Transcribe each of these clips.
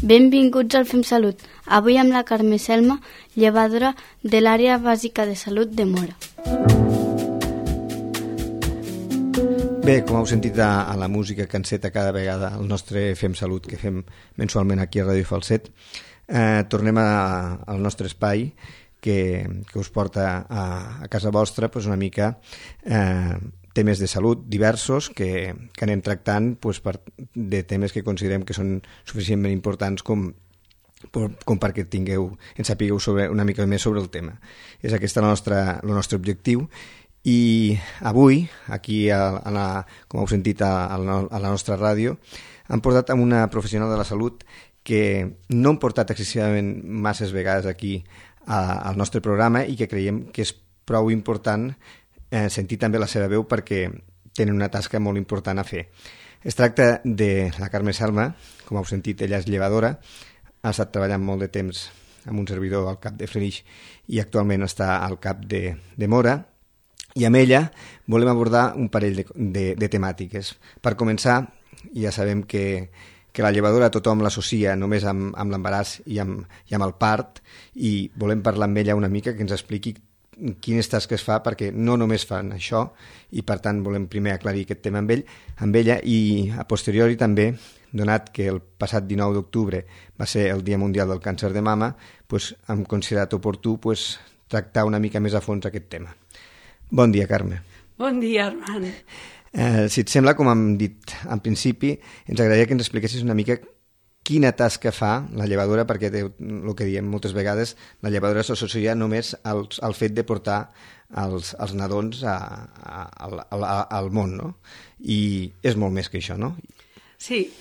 Benvinguts al Fem Salut. Avui amb la Carme Selma, llevadora de l'àrea bàsica de salut de Móra. Bé, com heu sentit a la música que enceta cada vegada el nostre Fem Salut, que fem mensualment aquí a Ràdio Falset, tornem al nostre espai que us porta a casa vostra una mica temes de salut diversos que anem tractant de temes que considerem que són suficientment importants com perquè en sapigueu una mica més sobre el tema. És aquest el nostre objectiu. I avui, aquí, com heu sentit a la nostra ràdio, hem portat amb una professional de la salut que no hem portat excessivament masses vegades aquí al nostre programa i que creiem que és prou important sentir també la seva veu perquè tenen una tasca molt important a fer. Es tracta de la Carme Selma, com heu sentit, ella és llevadora, ha estat treballant molt de temps amb un servidor al CAP de Flix i actualment està al CAP de Móra, i amb ella volem abordar un parell de temàtiques. Per començar, ja sabem que la llevadora tothom l'associa només amb l'embaràs i amb el part, i volem parlar amb ella una mica, que ens expliqui quines tasques fa, perquè no només fan això, i per tant volem primer aclarir aquest tema amb ella, i a posteriori també, donat que el passat 19 d'octubre va ser el Dia Mundial del Càncer de Mama, hem considerat oportú tractar una mica més a fons aquest tema. Bon dia, Carme. Bon dia, Armand. Si et sembla, com hem dit en principi, ens agradaria que ens expliquessis una mica quina tasca fa la llevadora, perquè el que diem moltes vegades, la llevadora s'associa només al fet de portar els nadons al món, no? I és molt més que això, no? Sí,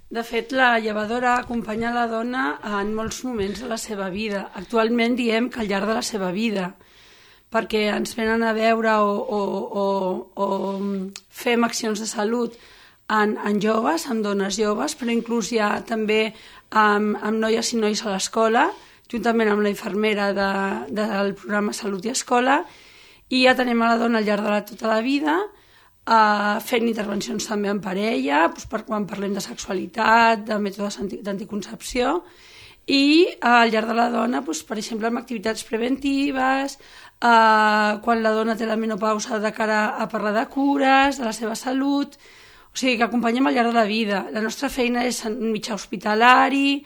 de fet la llevadora acompanya la dona en molts moments de la seva vida. Actualment diem que al llarg de la seva vida, perquè ens venen a veure o fem accions de salut en joves, amb dones joves, però inclús ja també amb noies i nois a l'escola, juntament amb la infermera del programa Salut i Escola, i ja tenim a la dona al llarg de tota la vida, fent intervencions també en parella, per quan parlem de sexualitat, de mètodes d'anticoncepció, i al llarg de la dona, per exemple, amb activitats preventives, quan la dona té la menopausa de cara a parlar de cures, de la seva salut. O sigui, que acompanyem al llarg de la vida. La nostra feina és en mitjà hospitalari,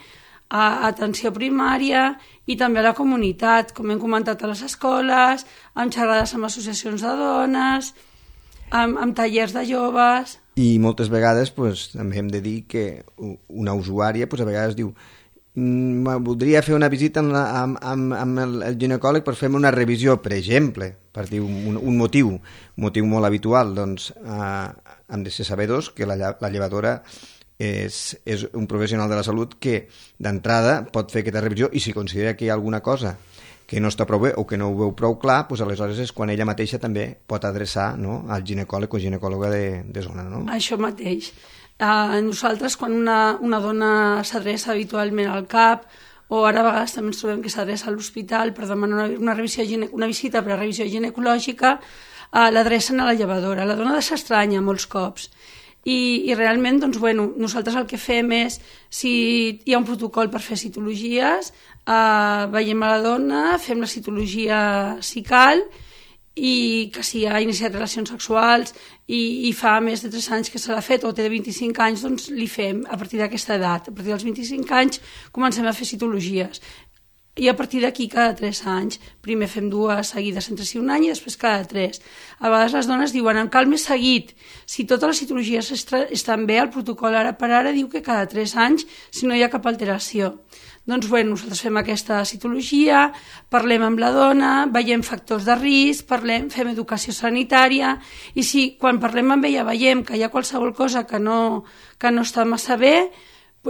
atenció primària i també a la comunitat, com hem comentat a les escoles, amb xerrades amb associacions de dones, amb tallers de joves. I moltes vegades també hem de dir que una usuària a vegades diu voldria fer una visita amb el ginecòleg per fer-me una revisió, per exemple, per dir un motiu molt habitual. Doncs hem de ser sabedors que la llevadora és un professional de la salut que d'entrada pot fer aquesta revisió, i si considera que hi ha alguna cosa que no està prou bé o que no ho veu prou clar, aleshores és quan ella mateixa també pot adreçar al ginecòleg o ginecòloga de zona, no? Això mateix. Nosaltres, quan una dona s'adreça habitualment al CAP, o ara a vegades també ens trobem que s'adreça a l'hospital per demanar una visita per a revisió ginecològica, l'adrecen a la llevadora. La dona s'estranya molts cops. I realment, nosaltres el que fem és, si hi ha un protocol per fer citologies, veiem a la dona, fem la citologia si cal, i que si ha iniciat relacions sexuals i fa més de 3 anys que se l'ha fet o té 25 anys, doncs li fem a partir d'aquesta edat. A partir dels 25 anys comencem a fer citologies. I a partir d'aquí, cada 3 anys, primer fem 2 seguides entre si un any i després cada 3. A vegades les dones diuen, em cal més seguit. Si totes les citologies estan bé, el protocol ara per ara diu que cada 3 anys, si no hi ha cap alteració. Doncs nosaltres fem aquesta citologia, parlem amb la dona, veiem factors de risc, fem educació sanitària, i si quan parlem amb ella veiem que hi ha qualsevol cosa que no està massa bé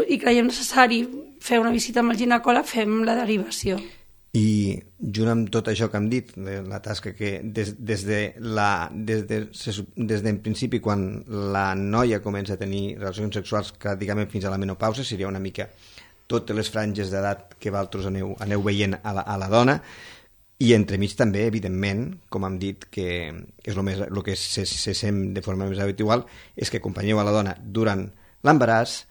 i creiem necessari fer una visita amb el ginecòleg, fem la derivació. I junt amb tot això que hem dit, la tasca que des en principi, quan la noia comença a tenir relacions sexuals pràcticament fins a la menopausa, seria una mica totes les franges d'edat que vosaltres aneu veient a la dona, i entremig també, evidentment, com hem dit, que és el que se sent de forma més habitual, és que acompanyeu a la dona durant l'embaràs,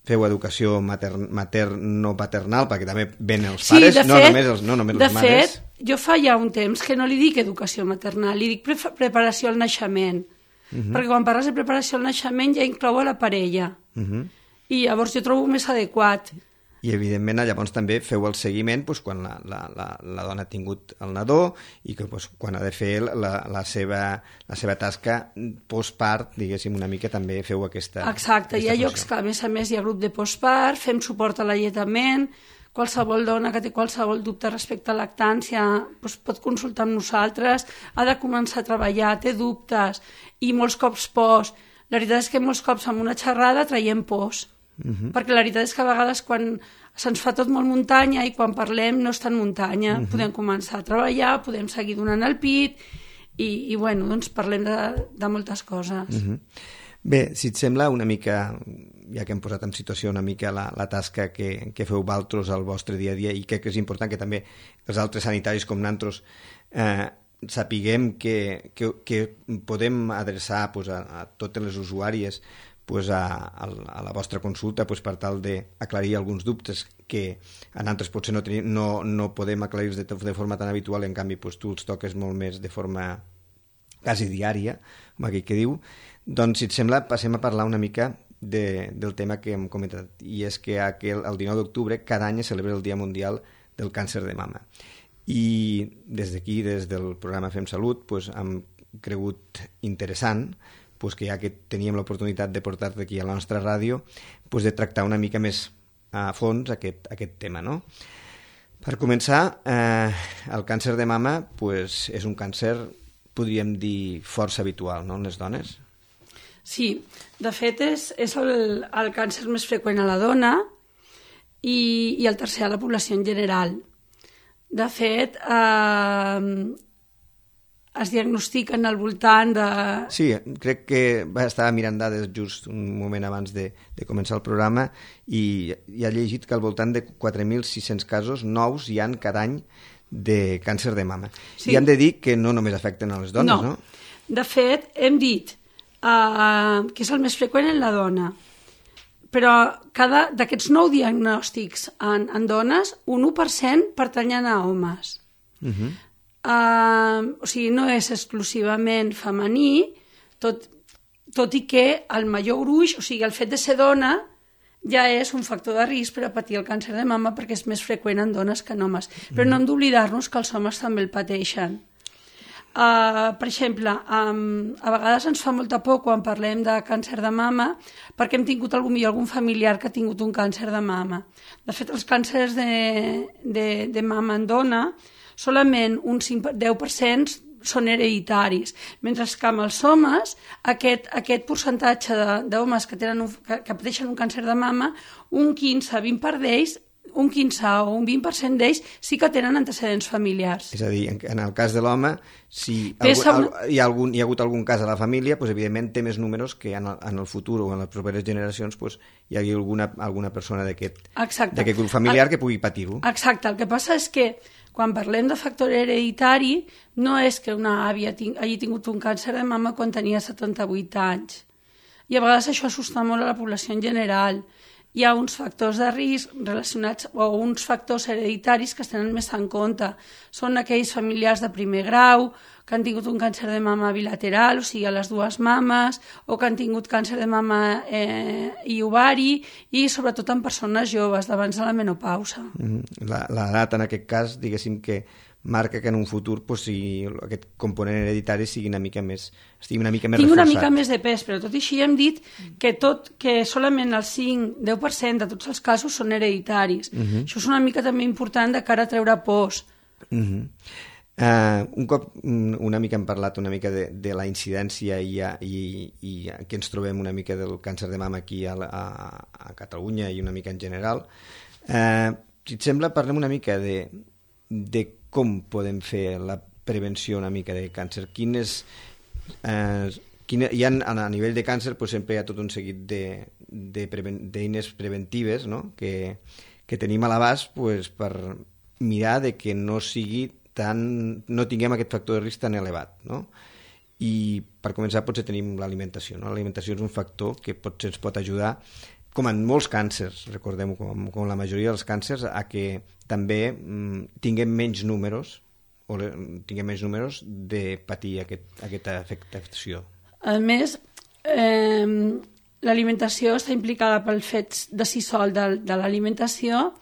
feu educació materno-paternal, perquè també ven els pares, no només les mares. De fet, jo fa ja un temps que no li dic educació maternal, li dic preparació al naixement, perquè quan parles de preparació al naixement ja inclou a la parella, i llavors jo trobo més adequat. I, evidentment, llavors també feu el seguiment quan la dona ha tingut el nadó i que quan ha de fer la seva tasca postpart, diguéssim, una mica també feu aquesta Exacte, hi ha llocs que a més hi ha grup de postpart, fem suport a l'alletament, qualsevol dona que té qualsevol dubte respecte a lactància pot consultar amb nosaltres, ha de començar a treballar, té dubtes, i molts cops post. La veritat és que molts cops amb una xerrada traiem pors. Perquè la veritat és que a vegades quan se'ns fa tot molt muntanya i quan parlem no és tan muntanya, podem començar a treballar, podem seguir donant el pit i bueno, doncs parlem de moltes coses. Bé, si et sembla una mica, ja que hem posat en situació una mica la tasca que feu vosaltres al vostre dia a dia, i crec que és important que també els altres sanitaris com nosaltres sapiguem que podem adreçar a totes les usuàries a la vostra consulta per tal d'aclarir alguns dubtes que a nosaltres potser no podem aclarir de forma tan habitual, en canvi tu els toques molt més de forma quasi diària, com aquell que diu. Doncs, si et sembla, passem a parlar una mica del tema que hem comentat, i és que el 19 d'octubre cada any es celebra el Dia Mundial del Càncer de Mama. I des d'aquí, des del programa Fem Salut, hem cregut interessant que ja que teníem l'oportunitat de portar-te aquí a la nostra ràdio, de tractar una mica més a fons aquest tema, no? Per començar, el càncer de mama és un càncer, podríem dir, força habitual, no?, en les dones. Sí, de fet és el càncer més freqüent a la dona i el tercer a la població en general. De fet, es diagnostiquen al voltant de... Sí, crec que estava mirant dades just un moment abans de començar el programa i ha llegit que al voltant de 4.600 casos nous hi han cada any de càncer de mama. Sí. I hem de dir que no només afecten a les dones, no? De fet, hem dit que és el més freqüent en la dona, però d'aquests 9 diagnòstics en dones, un 1% pertanyen a homes. O sigui, no és exclusivament femení, tot i que el major gruix, o sigui, el fet de ser dona ja és un factor de risc per a patir el càncer de mama perquè és més freqüent en dones que en homes. Però no hem d'oblidar-nos que els homes també el pateixen. Per exemple, a vegades ens fa molta por quan parlem de càncer de mama perquè hem tingut algun familiar que ha tingut un càncer de mama. De fet, els càncers de mama en dona solament un 10% són hereditaris, mentre que amb els homes aquest percentatge d'homes que pateixen un càncer de mama, un 15-20% d'ells, un 15 o un 20% d'ells sí que tenen antecedents familiars. És a dir, en el cas de l'home, si hi ha hagut algun cas a la família, evidentment té més números que en el futur o en les properes generacions hi hagi alguna persona d'aquest grup familiar que pugui patir-ho. Exacte, el que passa és que quan parlem de factor hereditari, no és que una àvia hagi tingut un càncer de mama quan tenia 78 anys. I a vegades això assusta molt a la població en general. Hi ha uns factors de risc relacionats o uns factors hereditaris que es tenen més en compte. Són aquells familiars de primer grau que han tingut un càncer de mama bilateral, o sigui, a les dues mames, o que han tingut càncer de mama i ovari, i sobretot en persones joves, d'abans de la menopausa. L'edat, en aquest cas, diguéssim que marca que en un futur aquest component hereditari estigui una mica més reforçat. Tinc una mica més de pes, però tot i així hem dit que solament el 5-10% de tots els casos són hereditaris. Això és una mica també important de cara a treure pors. Un cop una mica hem parlat una mica de la incidència i que ens trobem una mica del càncer de mama aquí a Catalunya i una mica en general, si et sembla parlem una mica de com podem fer la prevenció una mica de càncer. A nivell de càncer sempre hi ha tot un seguit d'eines preventives, no?, que tenim a l'abast per mirar de que no tinguem aquest factor de risc tan elevat, no? I per començar potser tenim l'alimentació, no? L'alimentació és un factor que potser ens pot ajudar com en molts càncers, recordem-ho, com la majoria dels càncers, a que també tinguem menys números de patir aquesta afectació. A més, l'alimentació està implicada pel fet de si sol de l'alimentació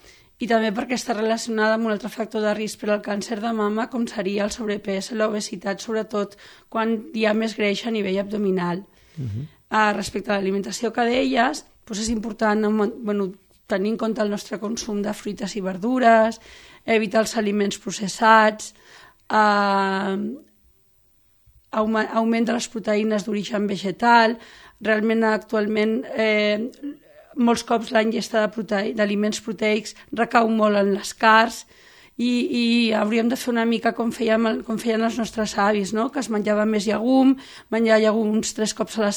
i també perquè està relacionada amb un altre factor de risc per al càncer de mama, com seria el sobrepès i l'obesitat, sobretot quan hi ha més greix a nivell abdominal. Respecte a l'alimentació que deies, doncs és important tenir en compte el nostre consum de fruites i verdures, evitar els aliments processats, augment de les proteïnes d'origen vegetal. Realment actualment molts cops la ingesta d'aliments proteics recau molt en les carns i hauríem de fer una mica com feien els nostres avis, no? Que es menjava més llegum, menjar llegums 3 cops a la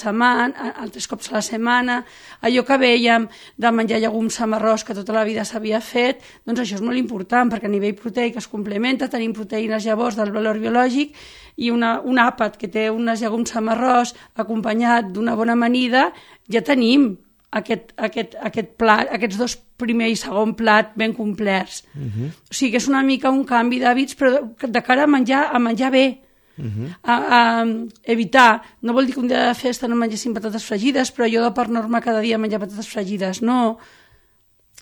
setmana, allò que vèiem de menjar llegums amb arròs que tota la vida s'havia fet, doncs això és molt important perquè a nivell proteic es complementa, tenim proteïnes llavors del valor biològic i un àpat que té uns llegums amb arròs acompanyat d'una bona amanida, ja tenim aquest plat, aquests 2 primer i segon plat ben complerts. O sigui que és una mica un canvi d'hàbits, però de cara a menjar bé. Evitar, no vol dir que un dia de festa no mengessin patates fregides, però jo de per norma cada dia menjar patates fregides, no.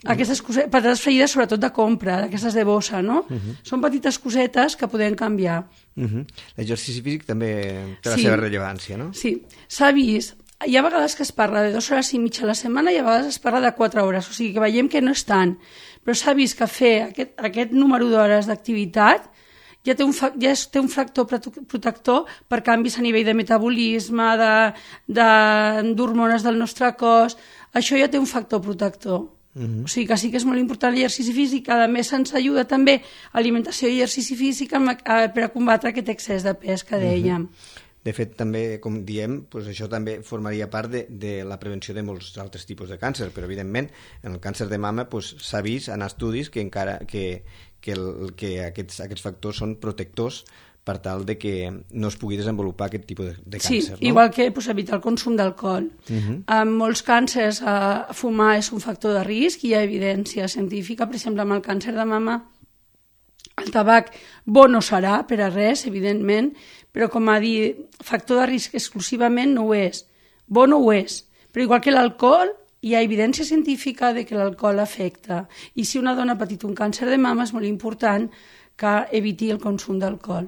Aquestes patates fregides sobretot de compra, d'aquestes de bossa, no? Són petites cosetes que podem canviar. L'exercici físic també té la seva rellevància, no? Sí, s'ha vist. Hi ha vegades que es parla de 2 hores i mitja a la setmana i a vegades es parla de 4 hores, o sigui que veiem que no és tant, però s'ha vist que fer aquest número d'hores d'activitat ja té un factor protector per canvis a nivell de metabolisme, d'hormones del nostre cos, això ja té un factor protector. O sigui que sí que és molt important l'exercici físic, a més ens ajuda també alimentació i exercici físic per a combatre aquest excés de pes que dèiem. De fet, també, com diem, això també formaria part de la prevenció de molts altres tipus de càncer, però evidentment en el càncer de mama s'ha vist en estudis que aquests factors són protectors per tal de que no es pugui desenvolupar aquest tipus de càncer. Sí, igual que evitar el consum d'alcohol. En molts càncers fumar és un factor de risc i hi ha evidència científica, per exemple, amb el càncer de mama el tabac bo no serà per a res, evidentment, però com a dir, factor de risc exclusivament no ho és. Bo no ho és. Però igual que l'alcohol, hi ha evidència científica de que l'alcohol afecta. I si una dona ha patit un càncer de mama és molt important que eviti el consum d'alcohol.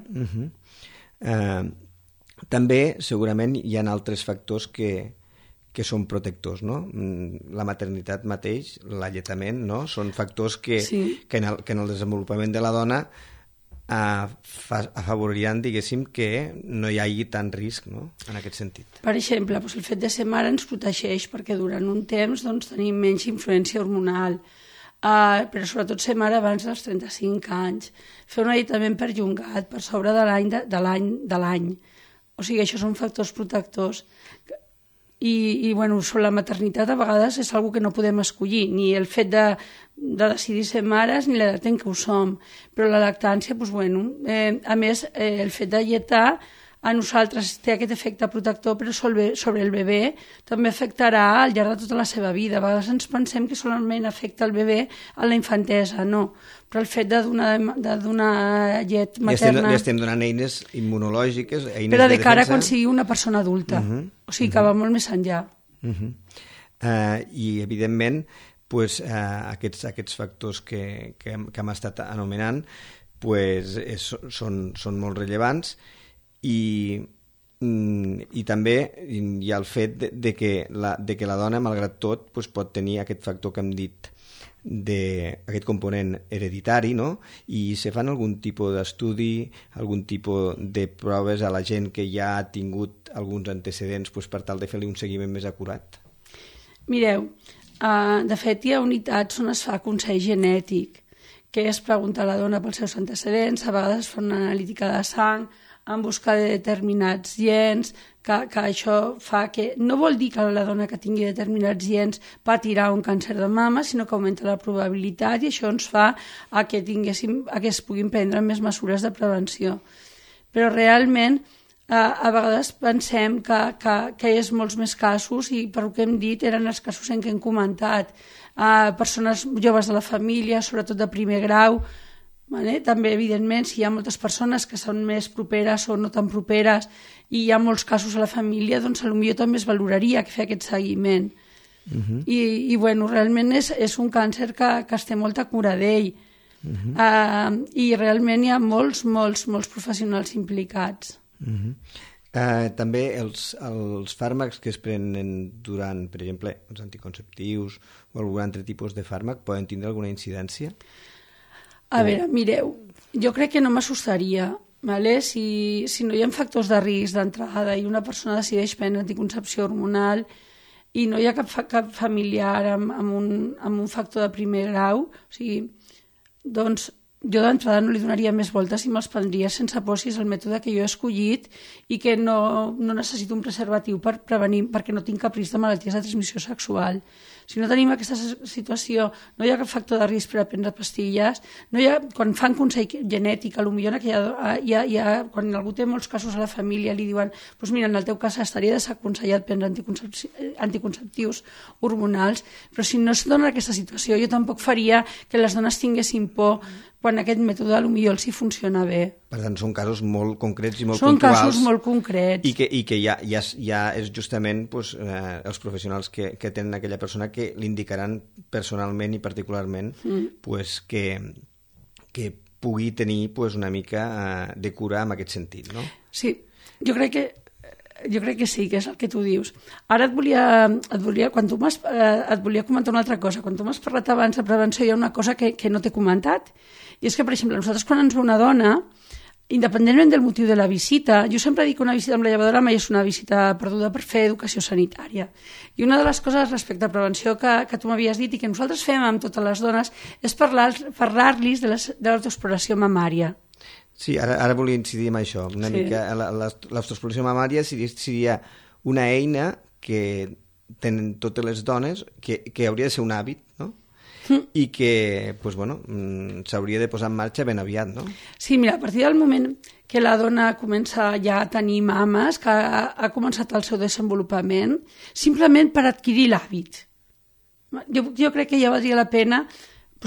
També, segurament, hi ha altres factors que són protectors, no? La maternitat mateix, l'alletament, no? Són factors que en el desenvolupament de la dona afavoririen, diguéssim, que no hi hagi tant risc, no?, en aquest sentit. Per exemple, el fet de ser mare ens protegeix perquè durant un temps tenim menys influència hormonal, però sobretot ser mare abans dels 35 anys, fer un alletament perllongat per sobre de l'any. O sigui, això són factors protectors. I sobre la maternitat a vegades és una cosa que no podem escollir, ni el fet de decidir ser mares ni l'edat en què ho som, però la lactància, a més, el fet de lletar a nosaltres té aquest efecte protector, però sobre el bebè també afectarà al llarg de tota la seva vida. A vegades ens pensem que solament afecta el bebè a la infantesa, no, però el fet de donar llet materna... Ja estem donant eines immunològiques, eines de defensa... Però de cara quan sigui una persona adulta, o sigui que va molt més enllà. I, evidentment, aquests factors que hem estat anomenant són molt rellevants i també hi ha el fet de que la dona, malgrat tot, pot tenir aquest factor que hem dit, aquest component hereditari, no? I se fan algun tipus d'estudi, algun tipus de proves a la gent que ja ha tingut alguns antecedents per tal de fer-li un seguiment més acurat? Mireu, de fet hi ha unitats on es fa consell genètic, que és preguntar a la dona pels seus antecedents, a vegades es fa una analítica de sang en busca de determinats gens, que això fa que... No vol dir que la dona que tingui determinats gens patirà un càncer de mama, sinó que augmenta la probabilitat i això ens fa que es puguin prendre més mesures de prevenció. Però realment a vegades pensem que és molts més casos i per el que hem dit eren els casos en què hem comentat. Persones joves de la família, sobretot de primer grau, vale? També, evidentment, si hi ha moltes persones que són més properes o no tan properes i hi ha molts casos a la família, doncs potser també es valoraria fer aquest seguiment. I bueno, realment és un càncer que es té molta cura d'ell. I realment hi ha molts professionals implicats. També els fàrmacs que es prenen durant, per exemple, els anticonceptius o algun altre tipus de fàrmac poden tindre alguna incidència? A veure, mireu, jo crec que no m'assustaria, vale? Si no hi ha factors de risc d'entrada i una persona decideix prendre anticoncepció hormonal i no hi ha cap familiar amb un factor de primer grau, o sigui, doncs jo d'entrada no li donaria més voltes i me'ls prendria sense por si és el mètode que jo he escollit i que no necessito un preservatiu per prevenir, perquè no tinc cap risc de malalties de transmissió sexual. Si no tenim aquesta situació, no hi ha cap factor de risc per a prendre pastilles, quan fan consell genètic, potser quan algú té molts casos a la família li diuen, doncs mira, en el teu cas estaria desaconsellat prendre anticonceptius hormonals, però si no es dona aquesta situació, jo tampoc faria que les dones tinguessin por quan aquest mètode potser els hi funciona bé. Per tant, són casos molt concrets i molt puntuals. Són casos molt concrets. I que ja és justament els professionals que tenen aquella persona que l'indicaran personalment i particularment que pugui tenir una mica de cura en aquest sentit, no? Sí, jo crec que sí, que és el que tu dius. Ara et volia comentar una altra cosa. Quan tu m'has parlat abans de prevenció, hi ha una cosa que no t'he comentat, i és que, per exemple, nosaltres quan ens ve una dona, independentment del motiu de la visita, jo sempre dic que una visita amb la llevadora mai és una visita perduda per fer educació sanitària. I una de les coses respecte a prevenció que tu m'havies dit i que nosaltres fem amb totes les dones és parlar-los de l'autoexploració mamària. Sí, ara volia incidir en això. Una mica l'autoexploració mamària seria una eina que tenen totes les dones, que hauria de ser un hàbit, no? I que s'hauria de posar en marxa ben aviat, no? Sí, mira, a partir del moment que la dona comença ja a tenir mames, que ha començat el seu desenvolupament, simplement per adquirir l'hàbit. Jo crec que ja valdria la pena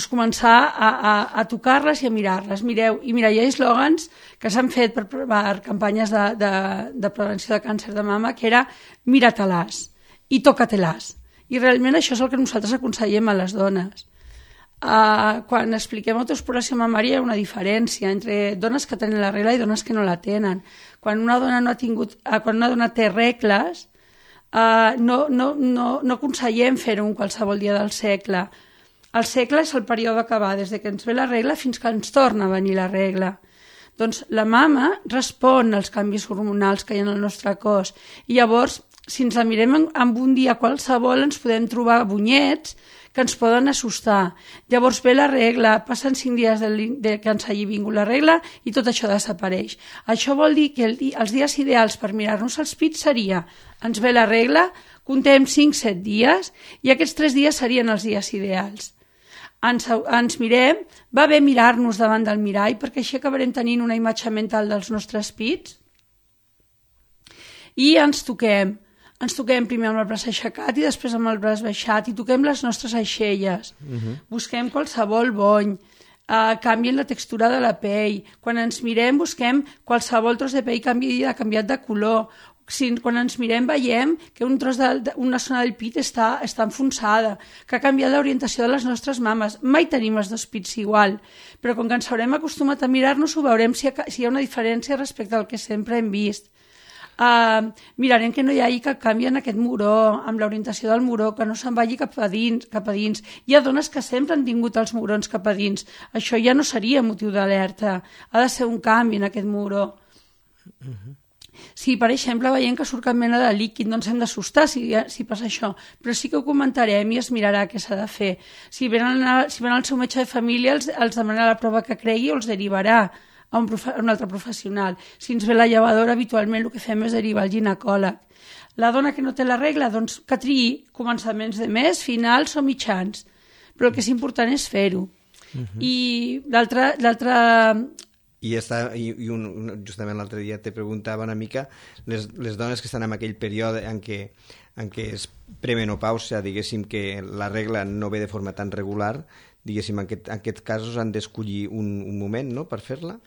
començar a tocar-les i a mirar-les. Mireu, i mira, hi ha eslògans que s'han fet per campanyes de prevenció de càncer de mama, que era mira-te-les i toca-te-les. I realment això és el que nosaltres aconsellem a les dones. Quan expliquem autoexploració mamària hi ha una diferència entre dones que tenen la regla i dones que no la tenen. Quan una dona té regles, no aconsellem fer-ho en qualsevol dia del segle. El segle és el període que va des que ens ve la regla fins que ens torna a venir la regla. Doncs la mama respon als canvis hormonals que hi ha en el nostre cos i llavors, si ens la mirem en un dia qualsevol, ens podem trobar bunyets que ens poden assustar. Llavors ve la regla, passen 5 dies que ens hagi vingut la regla i tot això desapareix. Això vol dir que els dies ideals per mirar-nos els pits seria, ens ve la regla, contem 5-7 dies i aquests 3 dies serien els dies ideals. Ens mirem, va bé mirar-nos davant del mirall perquè així acabarem tenint una imatge mental dels nostres pits i ens toquem primer amb el braç aixecat i després amb el braç baixat i toquem les nostres aixelles. Busquem qualsevol bony, canvien la textura de la pell. Quan ens mirem busquem qualsevol tros de pell canviat de color. Quan ens mirem veiem que una zona del pit està enfonsada, que ha canviat l'orientació de les nostres mames. Mai tenim els dos pits igual, però com que ens haurem acostumat a mirar-nos ho veurem si hi ha una diferència respecte al que sempre hem vist. Mirarem que no hi hagi cap canvi en aquest muró, amb l'orientació del muró, que no se'n vagi cap a dins. Hi ha dones que sempre han tingut els murons cap a dins. Això ja no seria motiu d'alerta. Ha de ser un canvi en aquest muró. Si, per exemple, veiem que surt cap mena de líquid, no ens hem d'assustar si passa això, però sí que ho comentarem i es mirarà què s'ha de fer. Si venen al seu metge de família, els demanarà la prova que cregui o els derivarà a un altre professional. Si ens ve la llevadora, habitualment el que fem és derivar al ginecòleg. La dona que no té la regla, doncs que triï començaments de mes, finals o mitjans, però el que és important és fer-ho. I l'altre Justament l'altre dia te preguntava una mica les dones que estan en aquell període en què és premenopàusia, diguéssim que la regla no ve de forma tan regular, diguéssim, en aquests casos han d'escollir un moment, no?, per fer-la?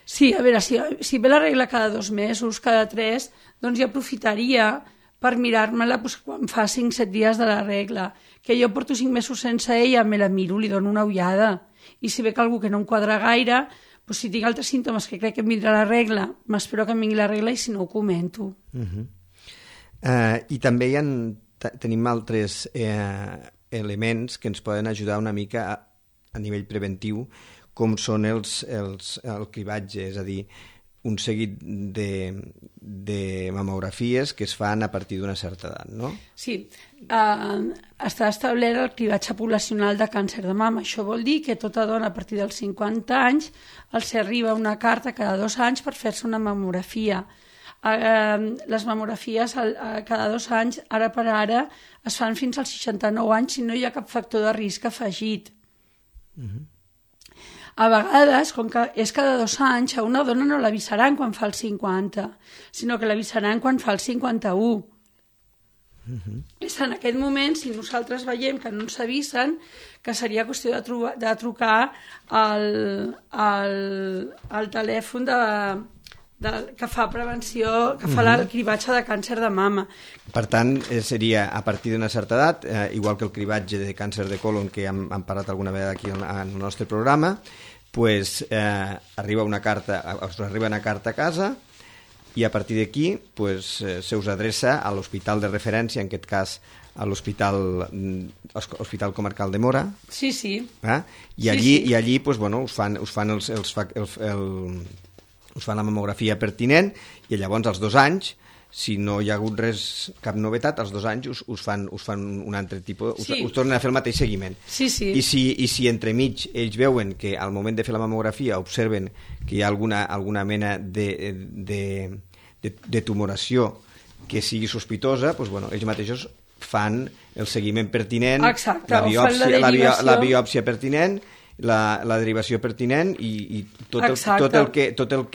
Sí, a veure, si ve la regla cada 2 mesos, cada 3, doncs jo aprofitaria per mirar-me-la quan fa 5-7 dies de la regla. Que jo porto 5 mesos sense ella, me la miro, li dono una ullada. I si ve que algú que no em quadra gaire, doncs si tinc altres símptomes que crec que em vindrà la regla, m'espero que em vingui la regla i si no ho comento. I també tenim altres elements que ens poden ajudar una mica a nivell preventiu, com són el cribatge, és a dir, un seguit de mamografies que es fan a partir d'una certa edat, no? Sí, està establert el cribatge poblacional de càncer de mama. Això vol dir que tota dona a partir dels 50 anys els arriba una carta cada 2 anys per fer-se una mamografia. Les mamografies cada 2 anys, ara per ara, es fan fins als 69 anys si no hi ha cap factor de risc afegit. A vegades, com que és cada 2 anys, a una dona no l'avisaran quan fa els 50, sinó que l'avisaran quan fa els 51. És en aquest moment, si nosaltres veiem que no ens avisen, que seria qüestió de trucar al telèfon que fa prevenció, que fa el cribatge de càncer de mama. Per tant, seria a partir d'una certa edat, igual que el cribatge de càncer de colon que hem parlat alguna vegada aquí en el nostre programa, pues, arriba una carta a casa i a partir d'aquí pues, se us adreça a l'hospital de referència, en aquest cas a l'Hospital Comarcal de Móra. Sí, sí. I allí pues, bueno, us fan la mamografia pertinent i llavors als 2 anys, si no hi ha hagut cap novetat, als 2 anys us fan un altre tipus, us tornen a fer el mateix seguiment. Sí, sí. I si entremig ells veuen que al moment de fer la mamografia observen que hi ha alguna mena de tumoració que sigui sospitosa, doncs, bueno, ells mateixos fan el seguiment pertinent, exacte, la biòpsia pertinent, la derivació pertinent i tot el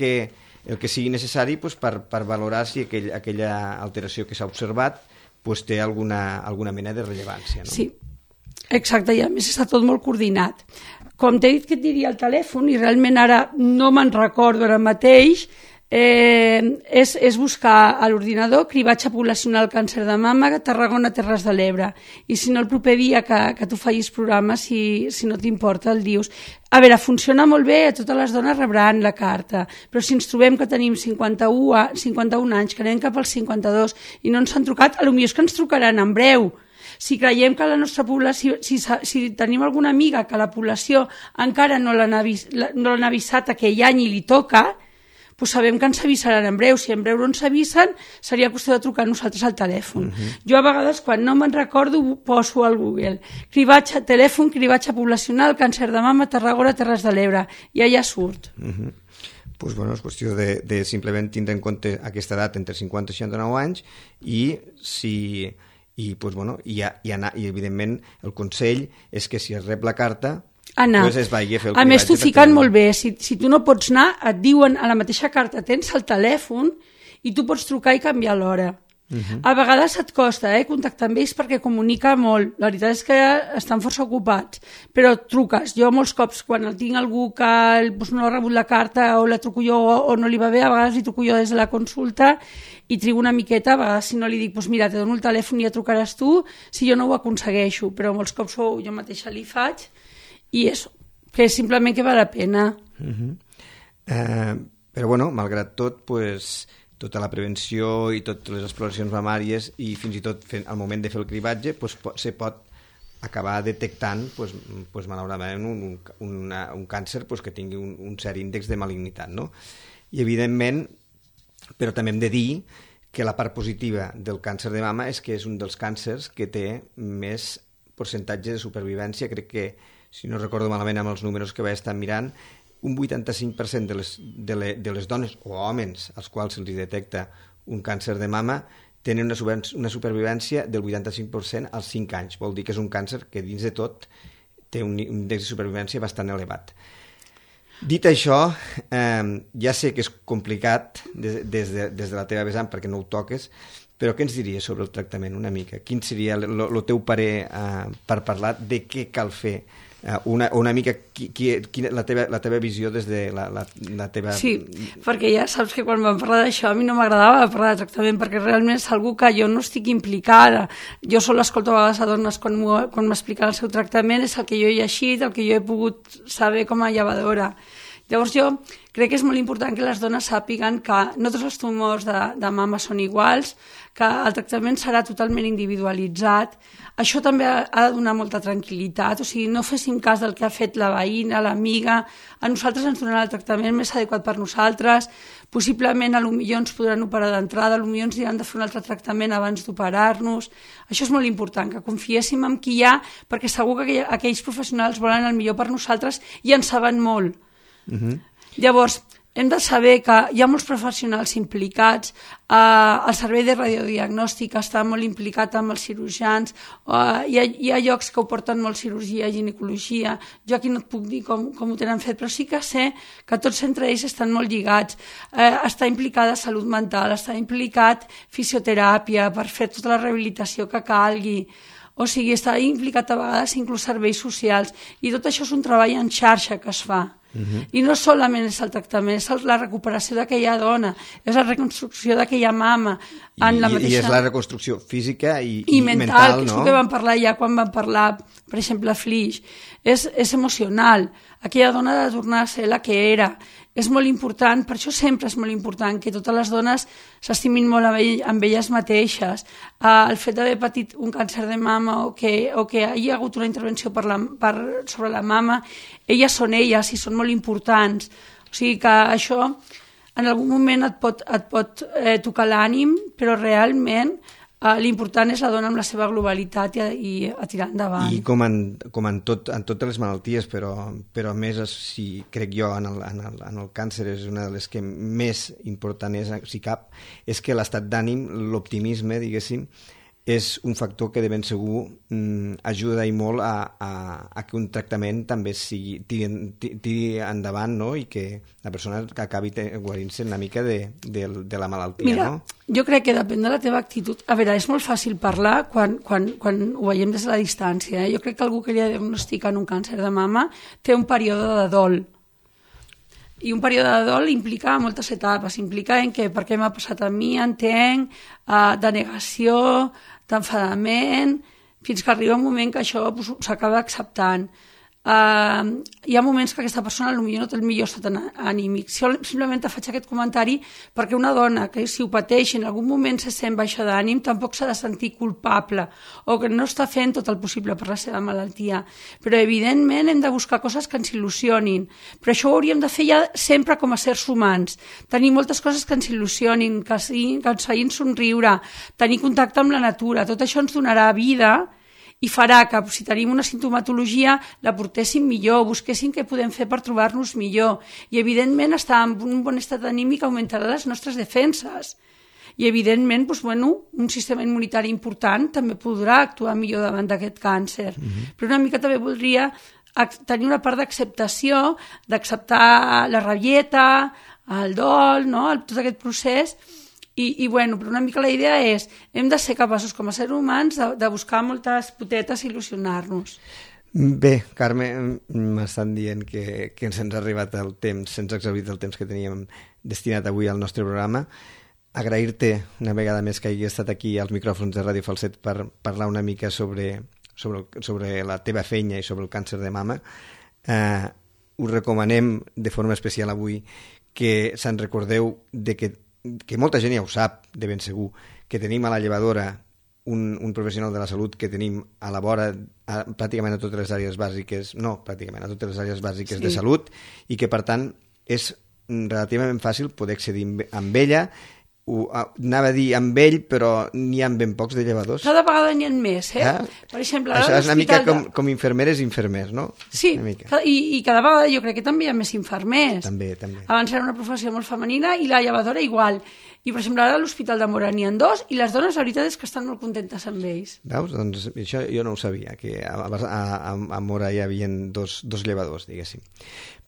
que sigui necessari pues, per valorar si aquella alteració que s'ha observat pues, té alguna mena de rellevància. No? Sí, exacte, i a més està tot molt coordinat. Com t'he dit que et diria el telèfon, i realment ara no me'n recordo ara mateix, és buscar a l'ordinador cribatge poblacional càncer de mama Tarragona Terres de l'Ebre, i si no el proper dia que tu facis programa, si no t'importa el dius. A veure, funciona molt bé, totes les dones rebran la carta, però si ens trobem que tenim 51 anys, que anem cap als 52 i no ens han trucat, potser és que ens trucaran en breu. Si creiem que la nostra població, si tenim alguna amiga que la població encara no l'han avisat aquell any i li toca, doncs sabem que ens avisaran en breu. Si en breu no ens avisen, seria qüestió de trucar nosaltres al telèfon. Jo a vegades, quan no me'n recordo, poso al Google telèfon, cribatge poblacional, càncer de mama, Tarragona, Terres de l'Ebre, i allà surt. Pues bueno, és qüestió de simplement tindre en compte aquesta edat entre 50 i 69 anys i evidentment el consell és que si es rep la carta anar. Pues es vagi a fer el a més, t'ho fiquen molt bé. Si tu no pots anar, et diuen a la mateixa carta, tens el telèfon i tu pots trucar i canviar l'hora. A vegades et costa contactar amb ells perquè comunica molt. La veritat és que estan força ocupats, però truques. Jo molts cops, quan tinc algú que no ha rebut la carta o la truco jo o no li va bé, a vegades li truco jo des de la consulta i trigo una miqueta. A vegades si no li dic, mira, te dono el telèfon i ja trucaràs tu, si jo no ho aconsegueixo, però molts cops jo mateixa li faig. I és que simplement que val la pena. Però bueno, malgrat tot, pues, tota la prevenció i totes les exploracions mamàries i fins i tot al moment de fer el cribatge pues, se pot acabar detectant pues, malauradament un càncer pues, que tingui un cert índex de malignitat. No? I evidentment, però també hem de dir que la part positiva del càncer de mama és que és un dels càncers que té més percentatge de supervivència. Crec que, si no recordo malament amb els números que vaig estar mirant, un 85% de les dones o homes als quals se'ls detecta un càncer de mama tenen una supervivència del 85% als 5 anys. Vol dir que és un càncer que dins de tot té un índex de supervivència bastant elevat. Dit això, ja sé que és complicat des de la teva vessant perquè no ho toques, però què ens diries sobre el tractament una mica? Quin seria el teu parer per parlar de què cal fer? Una mica la teva visió des de la teva... Sí, perquè ja saps que quan vam parlar d'això a mi no m'agradava parlar de tractament perquè realment és algú que jo no estic implicada. Jo sol escolto a vegades a dones quan m'expliquen el seu tractament, és el que jo he llegit, el que jo he pogut saber com a llevadora. Llavors jo crec que és molt important que les dones sàpiguen que no tots els tumors de mama són iguals, que el tractament serà totalment individualitzat. Això també ha de donar molta tranquil·litat, o sigui, no fessin cas del que ha fet la veïna, l'amiga, a nosaltres ens donarà el tractament més adequat per nosaltres, possiblement potser ens podran operar d'entrada, potser ens diran de fer un altre tractament abans d'operar-nos. Això és molt important, que confiéssim en qui hi ha, perquè segur que aquells professionals volen el millor per nosaltres i en saben molt. Llavors, hem de saber que hi ha molts professionals implicats, el servei de radiodiagnòstic està molt implicat amb els cirurgians, hi ha llocs que ho porten molt cirurgia, ginecologia, jo aquí no et puc dir com ho tenen fet, però sí que sé que tots entre ells estan molt lligats, està implicada salut mental, està implicat fisioteràpia per fer tota la rehabilitació que calgui, o sigui, està implicat a vegades inclús serveis socials, i tot això és un treball en xarxa que es fa. I no solament és el tractament, és la recuperació d'aquella dona, és la reconstrucció d'aquella mama. I és la reconstrucció física i mental, no? Que és el que vam parlar ja quan vam parlar, per exemple, a Flix. És emocional. Aquella dona ha de tornar a ser la que era. És molt important, per això sempre és molt important que totes les dones s'estimin molt amb elles mateixes. El fet d'haver patit un càncer de mama o que hi hagi hagut una intervenció sobre la mama, elles són elles i són molt importants. O sigui que això en algun moment et pot tocar l'ànim, però realment l'important és la dona amb la seva globalitat i a tirar endavant. I com en totes les malalties, però a més, si crec jo, en el càncer és una de les que més important és, si cap, és que l'estat d'ànim, l'optimisme, diguéssim, és un factor que de ben segur ajuda i molt a que un tractament també tiri endavant, no? I que la persona acabi guarint-se una mica de la malaltia. Mira, no? Jo crec que depèn de la teva actitud. A veure, és molt fàcil parlar quan ho veiem des de la distància. Jo crec que algú que li diagnostiquen un càncer de mama té un període de dol. I un període de dol implica moltes etapes. Implica en què, per què m'ha passat a mi, entenc, de negació, d'enfadament, fins que arriba un moment que això s'acaba acceptant. Hi ha moments que aquesta persona potser no té el millor estat anímic. Simplement te faig aquest comentari perquè una dona que si ho pateix en algun moment se sent baixa d'ànim tampoc s'ha de sentir culpable o que no està fent tot el possible per la seva malaltia. Però evidentment hem de buscar coses que ens il·lusionin. Però això ho hauríem de fer ja sempre com a sers humans. Tenir moltes coses que ens il·lusionin, que ens facin somriure, tenir contacte amb la natura. Tot això ens donarà vida i farà que si tenim una sintomatologia la portéssim millor, busquéssim què podem fer per trobar-nos millor i evidentment estar en un bon estat anímic augmentarà les nostres defenses i evidentment un sistema immunitari important també podrà actuar millor davant d'aquest càncer. Però una mica també voldria tenir una part d'acceptació, d'acceptar la rabieta, el dol, no? Tot aquest procés. I però una mica la idea és hem de ser capaços com a ser humans de buscar moltes potetes i il·lusionar-nos. Bé, Carme, m'estan dient que ens ha arribat el temps, se'ns ha exhaurit el temps que teníem destinat avui al nostre programa. Agrair-te una vegada més que hagi estat aquí als micròfons de Ràdio Falset per parlar una mica sobre la teva feina i sobre el càncer de mama. Us recomanem de forma especial avui que se'n recordeu que molta gent ja ho sap, de ben segur, que tenim a la llevadora un professional de la salut que tenim a la vora pràcticament a totes les àrees bàsiques, a totes les àrees bàsiques de salut, i que per tant és relativament fàcil poder accedir amb ella. Anava a dir amb ell, però n'hi ha ben pocs de llevadors. Cada vegada n'hi ha més, Per exemple, això és una mica com infermeres i infermers, no? Sí, i cada vegada jo crec que també hi ha més infermers. També. Abans era una professió molt femenina i la llevadora igual. I, per exemple, ara a l'Hospital de Móra n'hi ha 2 i les dones, la veritat és que estan molt contentes amb ells. Veus? Doncs això jo no ho sabia, que a Móra hi havia dos llevadors, diguéssim.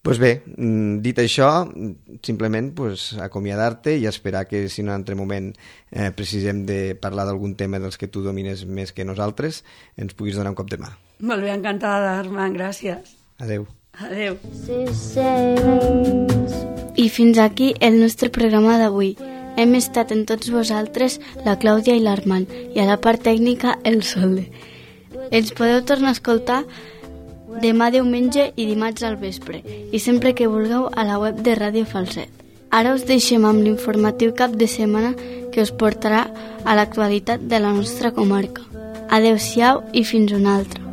Doncs bé, dit això, simplement acomiadar-te i esperar que si en un altre moment precisem de parlar d'algun tema dels que tu domines més que nosaltres, ens puguis donar un cop de mà. Molt bé, encantada, Armand, gràcies. Adeu. Adeu. I fins aquí el nostre programa d'avui. Hem estat en tots vosaltres la Clàudia i l'Armand i a la part tècnica el Solde. Ens podeu tornar a escoltar demà diumenge i dimarts al vespre i sempre que vulgueu a la web de Ràdio Falset. Ara us deixem amb l'informatiu cap de setmana que us portarà a l'actualitat de la nostra comarca. Adeu-siau i fins una altra.